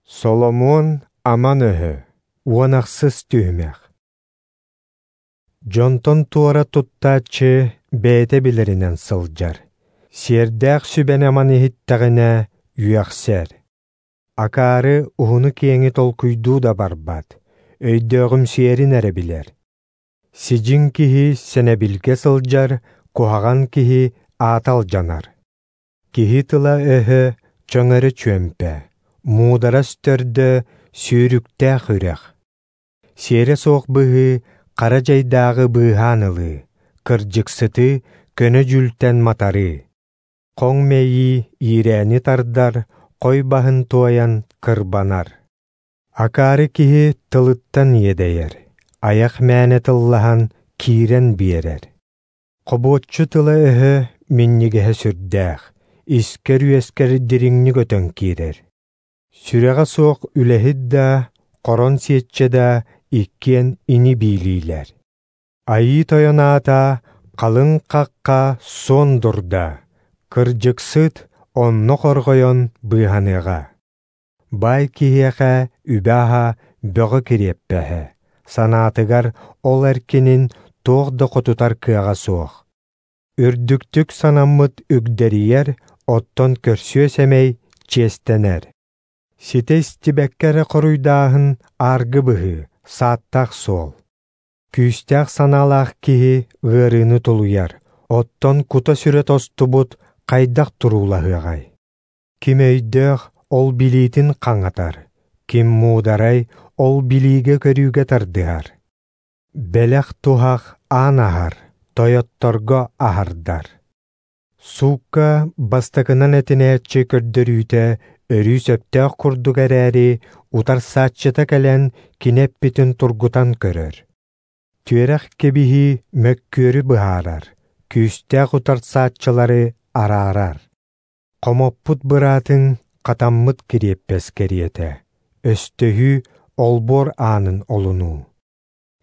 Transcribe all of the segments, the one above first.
Соломуон аман өһө, 16 түһүмэх. Дьонтон туора туттааччы бэйэтэ билэринэн сылдьар. Сиэрдээх сүбэни аман иһиттэҕинэ үөхсэр. Акаары уһуну-киэҥи толкуйдуу да барбат, өйдөөҕүмсүйэрин эрэ билэр. Сидьиҥ киһи сэнэбилгэ сылдьар, куһаҕан киһи аата алдьанар. Киһи тыла-өһө чөҥөрө чүөмпэ, муударас төрдө сүүрүктээх үрэх. Сиэрэ суох быһыы хара дьайдааҕы быыһаан ылыы, кырдьыксыты көнө дьүүлтэн матарыы. Хоҥ мэйии иирээни тардар, хой баһын туойан кырбанар. Акаары киһи тылыттан иэдэйэр, айах мээнэ тыллаһан киирэн биэрэр. Хобуоччу тыла-өһө минньигэһэ сүрдээх, искэр-үөскэр дириҥник өтөн киирэр. Сүрэҕэ суох үлэһит да, хорон сиэччэ да иккиэн ини биилиилэр. Айыы Тойон аата халыҥ хахха суон дурда, кырдьыксыт онно хорҕойон быыһаныаҕа. Баай киһиэхэ үбэ-аһа бөҕө кириэппэһэ, санаатыгар ол эркинин туох да хотутар кыаҕа суох. Үрдүктүк санаммыт үгдэрийэр, оттон көрсүө сэмэй чиэстэнэр. Ситэ истибэккэ эрэ хоруйдааһын ааргы быһыы, сааттаах суол. Күүстээх санаалаах киһи ыарыыны тулуйар, оттон кута-сүрэ тостубут хайдах туруулаһыаҕай? Ким өйдөөх ол билиитин хаҥатар, ким муударай ол билиигэ-көрүүгэ тардыһар. Бэлэх туһах аан аһар, тойотторго аһардар. Суукка бастакынан этинээччи көрдөрүүтэ өрүү сөптөөх курдук эрээри, утарсааччыта кэлэн кини эппитин тургутан көрөр. Түөрэх кэбиһии мөккүөрү быһаарар, күүстээх утарсааччылары араарар. Хомоппут быраатыҥ хатаммыт кириэппэс кэриэтэ, өстөһүү олбуор аанын олунуу.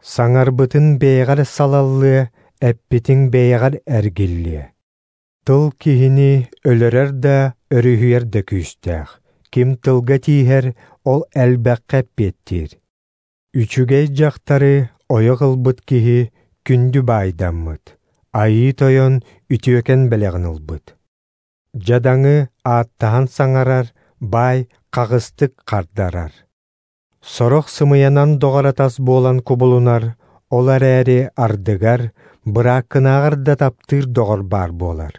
Саҥарбытын бэйэҕэр салаллыа, эппитиҥ бэйэҕэр эргиллиэ. Тыл киһини өлөрөр да, өрүһүйэр да күүстээх. Ким тылга тииһэр, ол элбэххэ эппиэттиир. Үчүгэй дьахтары ойох ылбыт киһи күндү баайдаммыт, Айыы Тойон үтүөкэн бэлэҕин ылбыт. Дьадаҥы ааттаһан саҥарар, баай хаҕыстык хардарар. Сорох сымыйанан доҕор-атас буолан кубулунар, ол эрээри ардыгар бырааккынааҕар да таптыыр доҕор баар буолар.